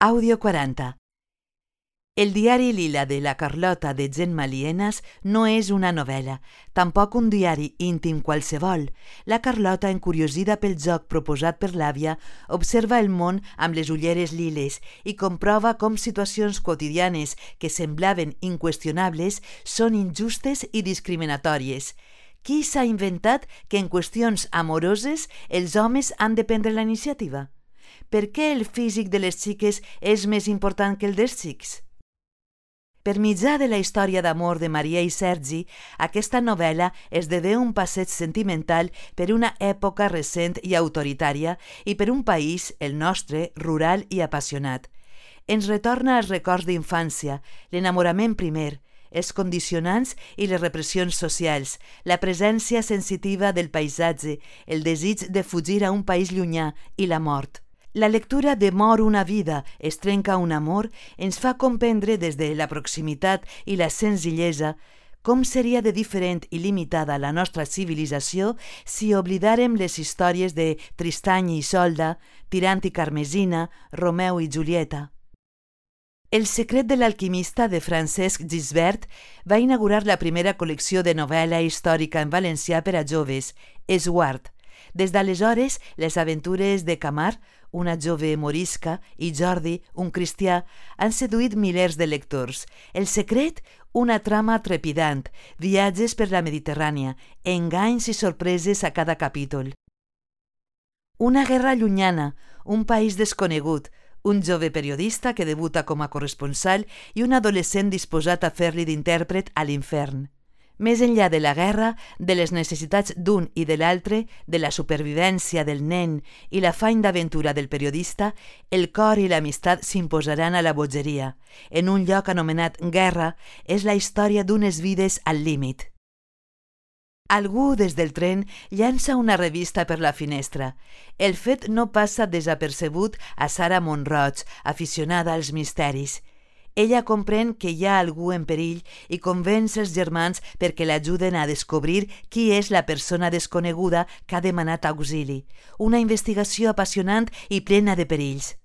Àudio 40. El diari Lila de la Carlota de Gemma Lienas no és una novel·la, tampoc un diari íntim qualsevol. La Carlota, encuriosida pel joc proposat per l'àvia, observa el món amb les ulleres liles i comprova com situacions quotidianes que semblaven inqüestionables són injustes i discriminatòries. Qui s'ha inventat que en qüestions amoroses els homes han de prendre la iniciativa? Per què el físic de les xiques és més important que el dels xics? Per mitjà de la història d'amor de Maria i Sergi, aquesta novel·la esdevé un passeig sentimental per una època recent i autoritària i per un país, el nostre, rural i apassionat. Ens retorna als records d'infància, l'enamorament primer, els condicionants i les repressions socials, la presència sensitiva del paisatge, el desig de fugir a un país llunyà i la mort. La lectura de Mor una vida, es trenca un amor ens fa comprendre des de la proximitat i la senzillesa com seria de diferent i limitada la nostra civilització si oblidàrem les històries de Tristany i Isolda, Tirant i Carmesina, Romeu i Julieta. El secret de l'alquimista de Francesc Gisbert va inaugurar la primera col·lecció de novel·la històrica en valencià per a joves, Esguard. Des d'aleshores, les aventures de Camar, una jove morisca, i Jordi, un cristià, han seduït milers de lectors. El secret, una trama trepidant, viatges per la Mediterrània, enganys i sorpreses a cada capítol. Una guerra llunyana, un país desconegut, un jove periodista que debuta com a corresponsal i un adolescent disposat a fer-li d'intèrpret a l'infern. Més enllà de la guerra, de les necessitats d'un i de l'altre, de la supervivència del nen i l'afany d'aventura del periodista, el cor i l'amistat s'imposaran a la bogeria. En un lloc anomenat Guerra, és la història d'unes vides al límit. Algú des del tren llança una revista per la finestra. El fet no passa desapercebut a Sara Montroig, aficionada als misteris. Ella comprèn que hi ha algú en perill i convenç els germans perquè l'ajuden a descobrir qui és la persona desconeguda que ha demanat auxili. Una investigació apassionant i plena de perills.